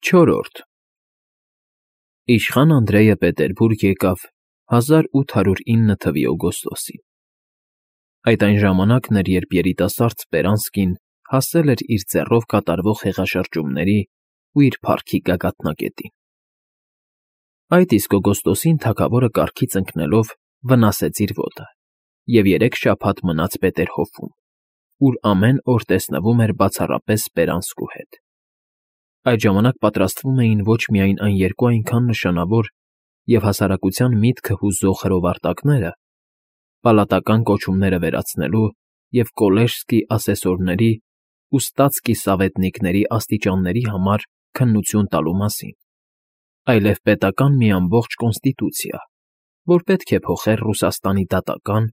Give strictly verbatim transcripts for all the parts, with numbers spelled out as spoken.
Չորրորդ Իշխան Անդրեյը Պետերբուրգ եկավ հազար ութ հարյուր ինը թվականի օգոստոսին. այդ այն ժամանակն էր, երբ երիտասարդ Սպերանսկին հասել էր իր ձեռով կատարվող հեղաշրջումների ու իր փառքի գագաթնակետին։ Այդ իսկ օգոստոսին թագավորը կառքից ընկնելով վնասեց իր ոտը և երեք շաբաթ մնաց Պետերհոֆում, ուր ամեն օր տեսնվում էր բացառապես Սպերանսկու հետ։ Այդ ժամանակ պատրաստվում էին ոչ միայն այն երկու այնքան նշանավոր և հասարակության միտքը հուզող հրովարտակները, պալատական կոչումները վերացնելու և Կոլեժսկի ասեսորների ու ստատսկի սավետնիկների աստիճանների համար քննություն տալու մասին, այլև պետական մի ամբողջ կոնստիտուցիա, որ պետք է փոխեր Ռուսաստանի դատական,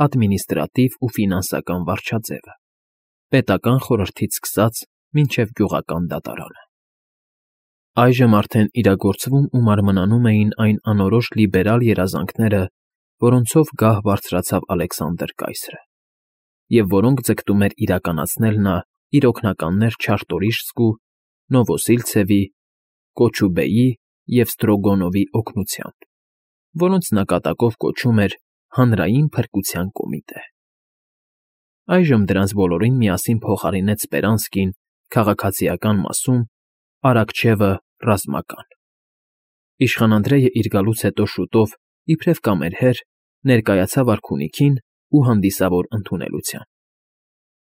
ադմինիստրատիվ ու ֆինանսական վարչաձևը, պետական խորհրդից սկսած մինչև գյուղական դատարանը։ Այժմ արդեն իրագործվում ու մարմնանում էին այն անորոշ լիբերալ երազանքները, որոնցով գահ բարձրացավ Ալեքսանդր կայսրը, և որոնք ձգտում էր իրականացնել նա իր օգնականներ Չարտորիշսկու, Նովոսիլցևի, Կոչուբեի և Ստրոգոնովի օգնությամբ, որոնց նկատակով կոչում էր Հանրային փրկության կոմիտե։ Այժմ դրանց բոլորին միասին փոխարինեց Սպերանսկին քաղաքացիական մասում, Արաքչևը՝ ռազմական։ Իշխան Անդրեյը իր գալուց հետո շուտով, իբրև կամերհեր, ներկայացավ արքունիքին ու հանդիսավոր ընդունելության։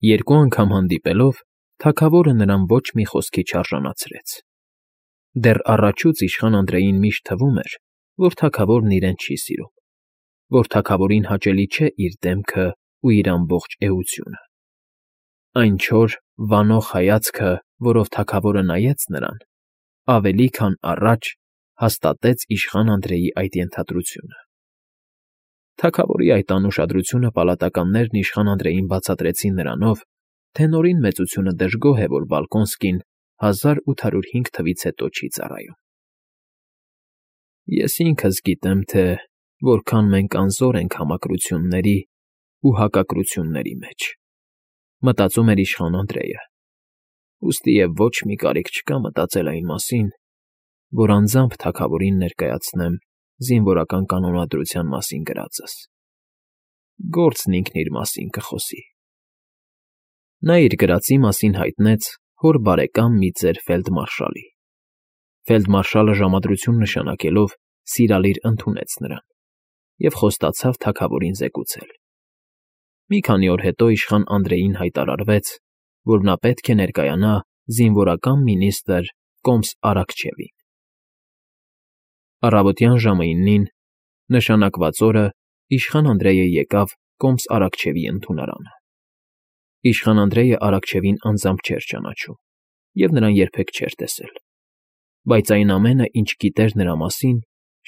Երկու անգամ հանդիպելով, թագավորը նրան ոչ մի խոսքի չարժանացրեց։ Դեռ առաջուց իշխան Անդրեյին միշտ թվում էր, որ թագավորն իրեն չի սիրում, որ թագավորին հաճելի չէ իր դեմքը ու իր ամբողջ էությունը։ Այն չոր, վանող հայացքը, որով թագավորը նայեց նրան, ավելի քան առաջ հաստատեց իշխան Անդրեյի այդ ենթադրությունը։ Թագավորի այդ անուշադրությունը պալատականներն իշխան Անդրեյին բացատրեցին նրանով, թե Նորին մեծությունը դժգոհ է, որ Բալկոնսկին հազար ութ հարյուր հինգ թվականից հետո չի ծառայում։ Ես ինքս գիտեմ, թե որքան մենք անզոր ենք համակրությունների ու հակակրությունների մեջ, մտածում էր իշխան Անդրեյը, ուստի և ոչ մի կարիք չկա մտածել այն մասին, որ անձամբ թագավորին ներկայացնեմ զինվորական կանոնադրության մասին գրածս. գործն ինքն իր մասին կխոսի։ Նա իր գրածի մասին հայտնեց հոր բարեկամ մի ծեր ֆելդմարշալի։ Ֆելդմարշալը ժամադրություն նշանակելով սիրալիր ընդունեց նրան և խոստացավ թագավորին զեկուցել։ Մի քանի օր հետո իշխան Անդրեյին հայտարարվեց, որ նա պետք է ներկայանա զինվորական մինիստրը Կոմս Արաքչևին։ Առավոտյան ժամը իննին, նշանակված օրը, իշխան Անդրեյը եկավ Կոմս Արաքչևի ընդունարանը։ Իշխան Անդրեյը Արաքչևին անձամբ չէր ճանաչում և նրան երբեք չէր տեսել, բայց այն ամենը, ինչ գիտեր նրա մասին,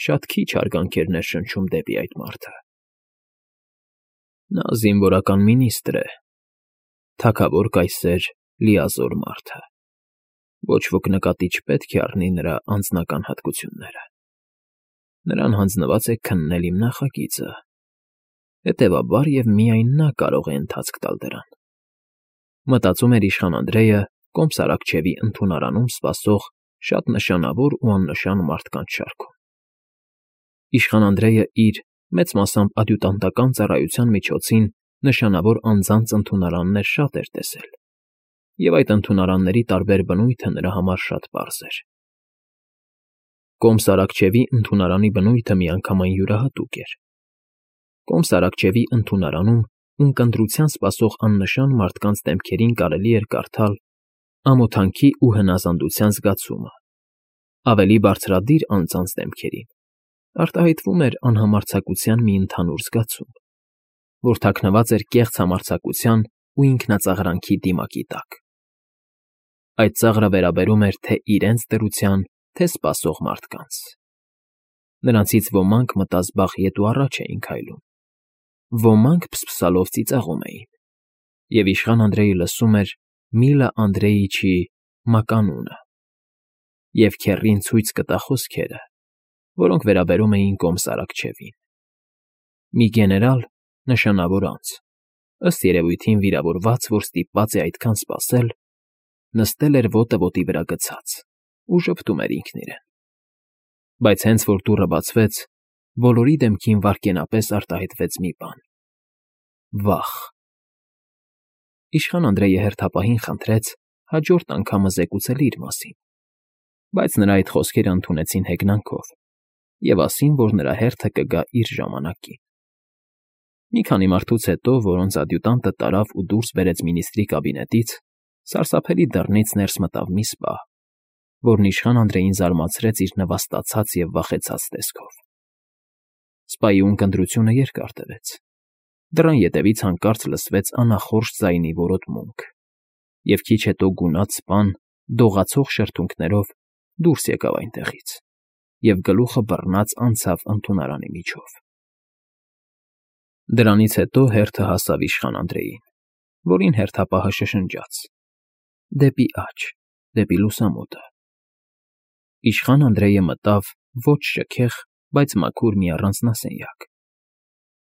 շատ քիչ հարգանք էր ներշնչում դեպի այդ մարդը։ Նա զինվորական մինիստրր է, թագավոր կայսեր, լիազոր մարդը, ոչ ոք նկատի չպետք է առնի նրա անձնական հատկությունները։ Նրան հանձնված է քննել իմ նախագիծը, հետևաբար և միայն նա կարող է ընթացք տալ դրան, մտածում էր իշխան Անդրեյը Կոմս Արաքչևի ընդունարանում սպասող շատ նշանավոր ու աննշան մարդկանց շարքում։ Իշխան Անդրեյը իր, մեծ մասամբ ադյուտանտական ծառայության միջոցին նշանավոր անձանց ընդունարաններ շատ էր տեսել, և այդ ընդունարանների տարբեր բնույթը նրա համար շատ պարզ էր։ Կոմս Արաքչևի ընդունարանի բնույթը միանգամայն յուրահատուկ էր։ Կոմս Արաքչևի ընդունարանում ունկնդրության սպասող աննշան մարդկանց դեմքերին կարելի էր կարդալ ամոթանքի ու հնազանդության զգացումը, ավելի բարձրադիր անձանց դեմքերին արտահայտվում էր անհամարձակության մի ընդհանուր զգացում, որ թաքնված էր կեղծ համարձակության ու ինքնածաղրանքի դիմակի տակ։ Այդ ծաղրը վերաբերում էր թե իրենց դրության, թե սպասող մարդկանց։ Նրանցից ոմանք մտազբաղ ետ ու առաջ էին քայլում, ոմանք փսփսալով ծիծաղում էին, և իշխան Անդրեյը լսում էր Միլա Անդրեիչի մականունը և քեռին ցույց կտա խոսքերը, որոնք վերաբերում էին Կոմս Արաքչևին։ Մի գեներալ, նշանավոր անձ, ըստ երևույթին վիրավորված, որ ստիպված է այդքան սպասել, նստել էր ոտը ոտի վրա գցած ու ժպտում էր ինքն իրեն։ Բայց հենց որ դուռը բացվեց, բոլորի դեմքին վայրկենապես արտահայտվեց մի բան. վախ։ Իշխան Անդրեյը հերթապահին խնդրեց հաջորդ անգամը զեկուցել իր մասին, բայց նրա այդ խոսքերը ընդունեցին հեգնանքով և ասին, որ նրա հերթը կգա իր ժամանակին։ Մի քանի մարդուց հետո, որոնց ադյուտանտը տարավ ու դուրս բերեց մինիստրի կաբինետից, սարսափելի դռնից ներս մտավ մի սպա, որն իշխան Անդրեյին զարմացրեց իր նվաստացած և վախեցած տեսքով։ Սպայի ունկնդրությունը երկար տևեց։ Դռան ետևից հանկարծ լսվեց անախորժ ձայնի որոտմունք, և քիչ հետո գունատ սպան դողացող շրթունքներով դուրս եկավ այնտեղից և գլուխը բռնած անցավ ընդունարանի միջով։ Դրանից հետո հերթը հասավ իշխան Անդրեյին, որին հերթապահը շշնջաց. «Դեպի աջ, դեպի լուսամուտը»։ Իշխան Անդրեյը մտավ ոչ շքեղ, բայց մաքուր մի առանձնասենյակ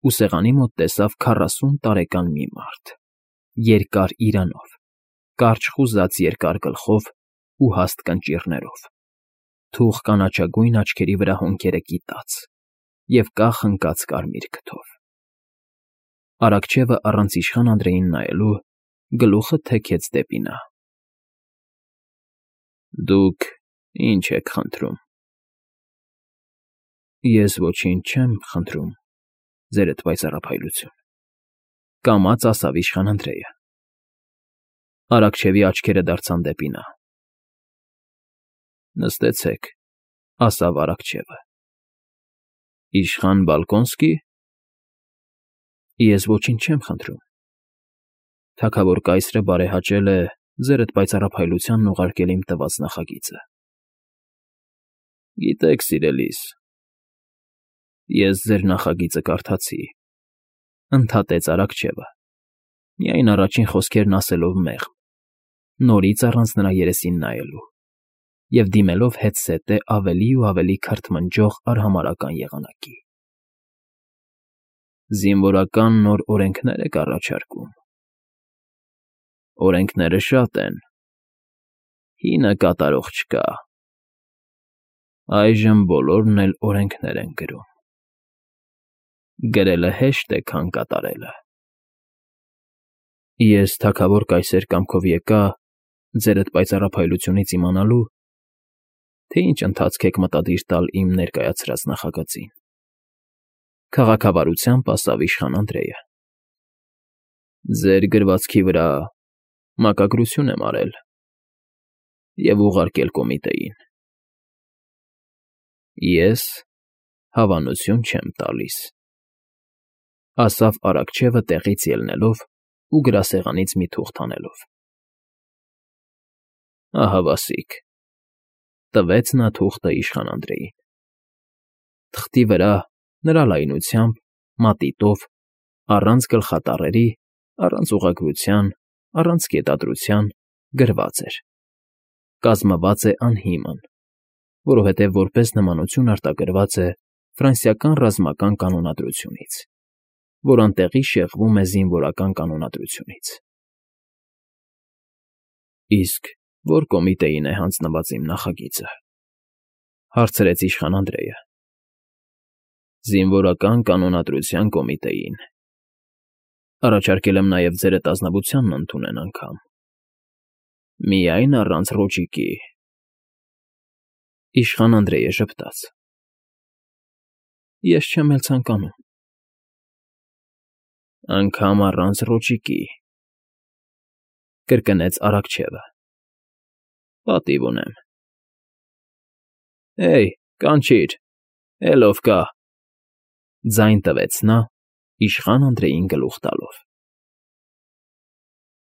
ու սեղանի մոտ տեսավ քառասուն տարեկան մի մարդ, երկար իրանով, կարճ խուզած երկար գլխով ու հաստ կնճիռներով, թուխ կանաչագույն աչքերի վրա հոնքերը կիտած և կախ ընկած կարմիր քթով։ Առաքչևը առանց իշխան Անդրեյին նայելու գլուխը թեքեց դեպի նա։ «Դուք ի՞նչ եք խնդրում»։ «Ես ոչինչ չեմ խնդրում, ձերդ պայծառափայլություն», կամաց ասավ իշխան Անդրեյը։ Առաքչևի աչքերը դարձան դեպի նա։ «Նստեցեք», ասավ առաքչևը։ «Իշխան Բալկոնսկի՞։ Ես ոչինչ չեմ խնդրում։ Թագավոր կայսրը բարեհաճել է ձերդ պայծառափայլությանն ուղարկել իմ տված նախագիծը»։ «Գիտեք, սիրելիս, ես ձեր նախագիծը կարդացի», ընդհատեց առաքչևը, միայն առաջին խոսքերն ասելով մեղմ, նորից առանց նրա երեսին նայելու և դիմելով հետզհետե ավելի ու ավելի քրթմնջող արհամարհական եղանակի։ «Զինվորական նոր օրենքներ եք առաջարկում։ Օրենքները շատ են, հինը կատարող չկա։ Այժմ բոլորն էլ օրենքներ են գրում։ Գրելը հեշտ է, քան կատարելը։ Ես թագավոր կայսեր կամքով եկա ձերդ պայծառափայլությունից իմանալու, թե ինչ ընթացք եք մտադիր տալ իմ ներկայացրած նախագծին», քաղաքավարությամբ ասավ իշխան Անդրեյը։ «Ձեր գրվածքի վրա մակագրություն եմ արել և ուղարկել կոմիտեին։ Ես հավանություն չեմ տալիս», ասավ առաքչևը տեղից ելնելով ու գրասեղանից մի թուղթ հանելով։ «Ահա վասիկ», տվեց նա թուղթը իշխան Անդրեյին։ Թղթի վրա նրա լայնությամբ, մատիտով, առանց գլխատառերի, առանց ուղղագրության, առանց կետադրության գրված էր. «Կազմված է անհիմն, որովհետև որպես նմանություն արտագրված է ֆրանսիական ռազմական կանոնադրությունից, որ անտեղի շեղվում է զինվորական կանոնադրությունից»։ «Իսկ ո՞ր կոմիտեին է հանձնված իմ նախագիծը», հարցրեց իշխան Անդրեյը։ «Զինվորական կանոնադրության կոմիտեին։ Առաջարկել եմ նաև ձերդ ազնվությանն ընդունեն անգամ։ Միայն առանց Ռոճիկի»։ Իշխան Անդրեյը ժպտաց։ «Ես չեմ էլ ցանկանում»։ «Անգամ առանց Ռոճիկի», կրկնեց առաքչևը։ «Պատիվ ունեմ»։ «Հեյ, կանչիր, էլ ով կա», ձայն տվեց նա՝ իշխան Անդրեյին գլուխ տալով։